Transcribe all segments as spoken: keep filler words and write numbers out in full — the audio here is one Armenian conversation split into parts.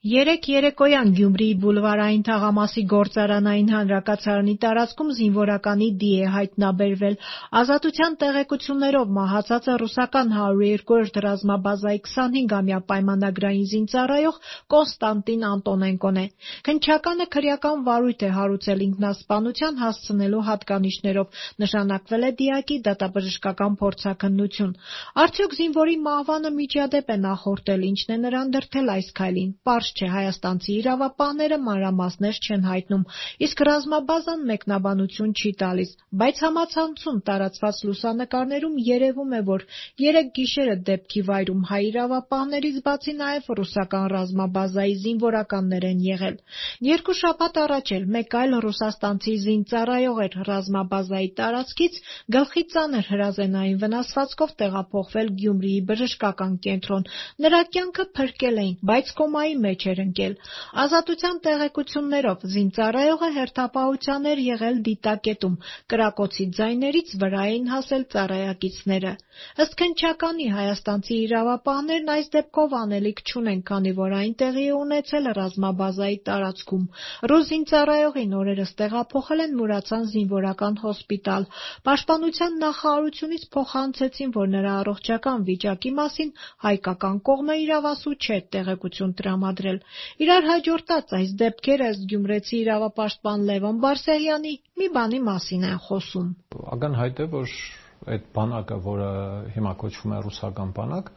Երեկ երեկոյան Գյումրիի բուլվարային թաղամասի գործարանային հանրակացարանի տարածքում զինվորականի դի է հայտնաբերվել։ Ազատության տեղեկություններով մահացածը ռուսական հարյուր երկրորդ ռազմաբազայի քսանհինգամյա պայմանագրային զինծառայող Կոնստանտին Անտոնենկոն է։ Քննչականը քրեական վարույթ է հարուցել ինքնասպանության հասցնելու հատկանիշներով, նշանակվել է դիակի դատաբժշկական փորձաքննություն։ Արդյոք զինվորի մահվանը միջադեպ է նախորդել, ինչն է նրան դրդել այս քայլին։ Պարզ չէ, հայաստանցի իրավապահները մանրամասներ չեն հայտնում, իսկ ռազմաբազան մեկնաբանություն չի տալիս, բայց համացանցում տարածված լուսանկարներում երևում է, որ երեկ գիշերը դեպքի վայրում հայ իրավապահներից բացի նաև ռուսական ռազմաբազայի զինվորականներ են եղել։ Երկու շաբաթ առաջ էլ մեկ այլ ռուսաստանցի զինծառայող էր ռազմաբազայի տարածքից գլխի ծանր հրազենային վնասվածքով տեղափոխվել Գյումրիի բժշկական կենտրոն։ Նրա կյանքը փրկել էին, բայց կոմայի մեջ էր ընկել։ Ազատության տեղեկություններով զինծառայողը հերթապահության էր եղել դիտակետում, կրակոցի ձայներից վրա էին հասել ծառայակիցները։ Ըստ քննչականի, հայաստանցի իրավապահներն այս դեպքով անելիք չունեն, քանի որ այն տեղի է ունեցել ռազմաբազայի տարածքում։ Ռուս զինծառայողին օրերս տեղափոխել են Մուրացան զինվորական հոսպիտալ։ Պաշտպանության նախարարությունից փոխանցեցին, որ նրա առողջական վիճակի մասին հայկական կողմը իրավասու չէ տեղեկություն տրամադրել։ Իրար հաջորդած այս դեպքերը ըստ գյումրեցի իրավապաշտպան Լևոն Բարսեղյանի մի բանի մասին են խոսում։ Ակնհայտ է, որ այդ բանակը, որը հիմա կոչվում է ռուսական բանակ,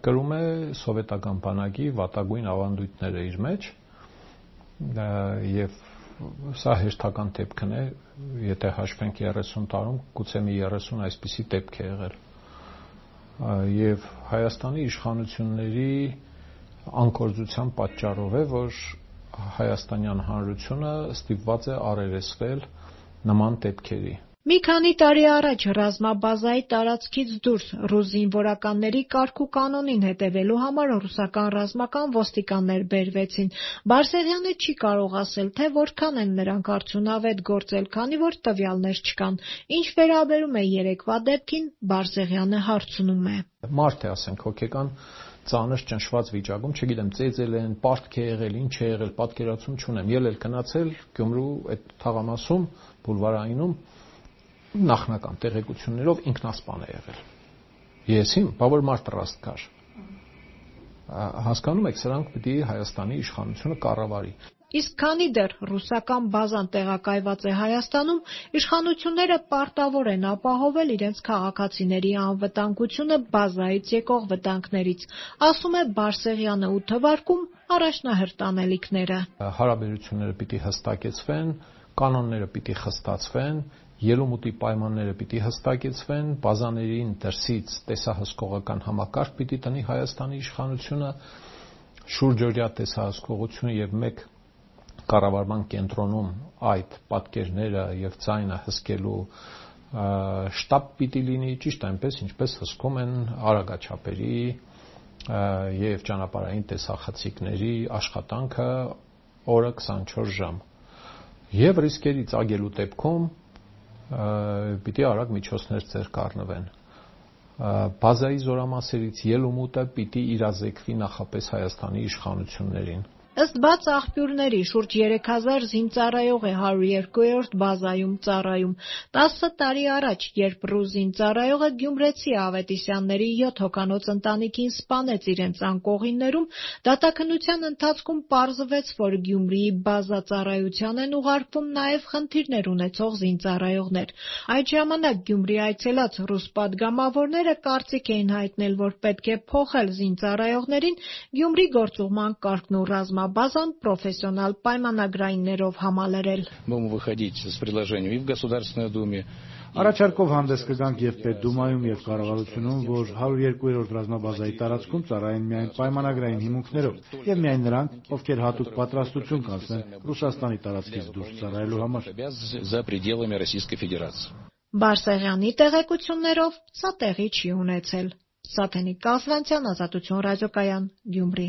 կրում է սովետական բանակի վատագույն ավանդույթները իր մեջ, եւ սա հերթական դեպքն է, եթե հաշվենք երեսուն տարում, գուցե մի երեսուն այսպիսի դեպք է եղել։ Եվ Հայաստանի իշխանությունների անկորձության պատճառով է, որ Հայաստանյան Հանրությունը ստիպված է առերեսվել նման դեպքերի։ Մի քանի տարի առաջ ռազմաբազայի տարածքից դուրս ռուս զինվորականների կարգ ու կանոնին հետևելու համար ռուսական ռազմական ոստիկաններ բերվեցին։ Բարսեղյանը չի կարող ասել, թե որքան են նրանք արդյունավետ գործել, քանի որ տվյալներ չկան։ Ինչ վերաբերում է երեկվա դեպքին, Բարսեղյանը հարցնում է. Մարդ է, ասենք, հոգեկան ծանր ճնշված վիճակում, չգիտեմ, ծեծել են, պարտք է եղել, ինչ է եղել, պատկերացում չունեմ։ Ելել գնացել Գյումրու այդ թաղամասում, բուլվարայինում նախնական տեղեկություններով ինքնասպան է եղել։ Եսիմ, բա որ մարդ ռաստ կար։ Հասկանում եք, սրանք պիտի Հայաստանի իշխանությունը կառավարի։ Իսկ քանի դեռ ռուսական բազան տեղակայված է Հայաստանում, իշխանությունները պարտավոր են ապահովել իրենց քաղաքացիների անվտանգությունը բազայից եկող վտանգներից, ասում է Բարսեղյանը ու թվարկում առաջնահերթ անելիքները։ Հարաբերությունները պիտի հստակեցվեն, կանոնները պիտի խստացվեն, ելումուտի պայմանները պիտի հստակեցվեն, բազաներին դրսից տեսահսկողական համակարգ պիտի տնի Հայաստանի իշխանությունը, շուրջօրյա տեսահսկողությունը եւ մեկ կառավարման կենտրոնում այդ պատկերները եւ ձայնը հսկելու շտաբ պիտի լինի, ճիշտ այնպես, ինչպես հսկում են արագաչափերի եւ ճանապարհային տեսախցիկների աշխատանքը օրը քսանչորս ժամ։ Եվ ռիսկերի ծագելու դեպքում պիտի արագ միջոցներ ձեռք առնվեն։ Բազայի զորամասերից ելումուտը պիտի իրազեկվի նախապես Հայաստանի իշխանություններին։ Ըստ բաց աղբյուրների, շուրջ երեք հազար զինծառայող է հարյուր երկրորդ բազայում ծառայում։ տասը տարի առաջ, երբ ռուս զինծառայողը գյումրեցի Ավետիսյանների յոթ հոգանոց ընտանիքին սպանեց իրենց անկողիններում, դատաքննության ընթացքում պարզվեց, որ Գյումրիի բազա-ծառայության են ուղարկվում նաև խնդիրներ ունեցող զինծառայողներ։ Այդ ժամանակ Գյումրի այցելած ռուս պատգամավորները կարծիք էին հայտնել, որ պետք է փոխել զինծառայողներին Գյումրի գործուղման կարգն ու ռազմաբազան պրոֆեսիոնալ պայմանագրայիններով համալրել։ Առաջարկով հանդես կգանք եւ Պետդումայում եւ կառավարությունում, որ հարյուր երկրորդ ռազմաբազայի տարածքում ծառայեն միայն պայմանագրային հիմունքներով եւ միայն նրանք, ովքեր հատուկ պատրաստություն կանցնեն Ռուսաստանի տարածքից դուրս ծառայելու համար։ Բարսեղյանի տեղեկություններով սա տեղի չի ունեցել։ Սաթենիկ Կասլանցյան, Ազատություն ռադիոկայան, Գյումրի։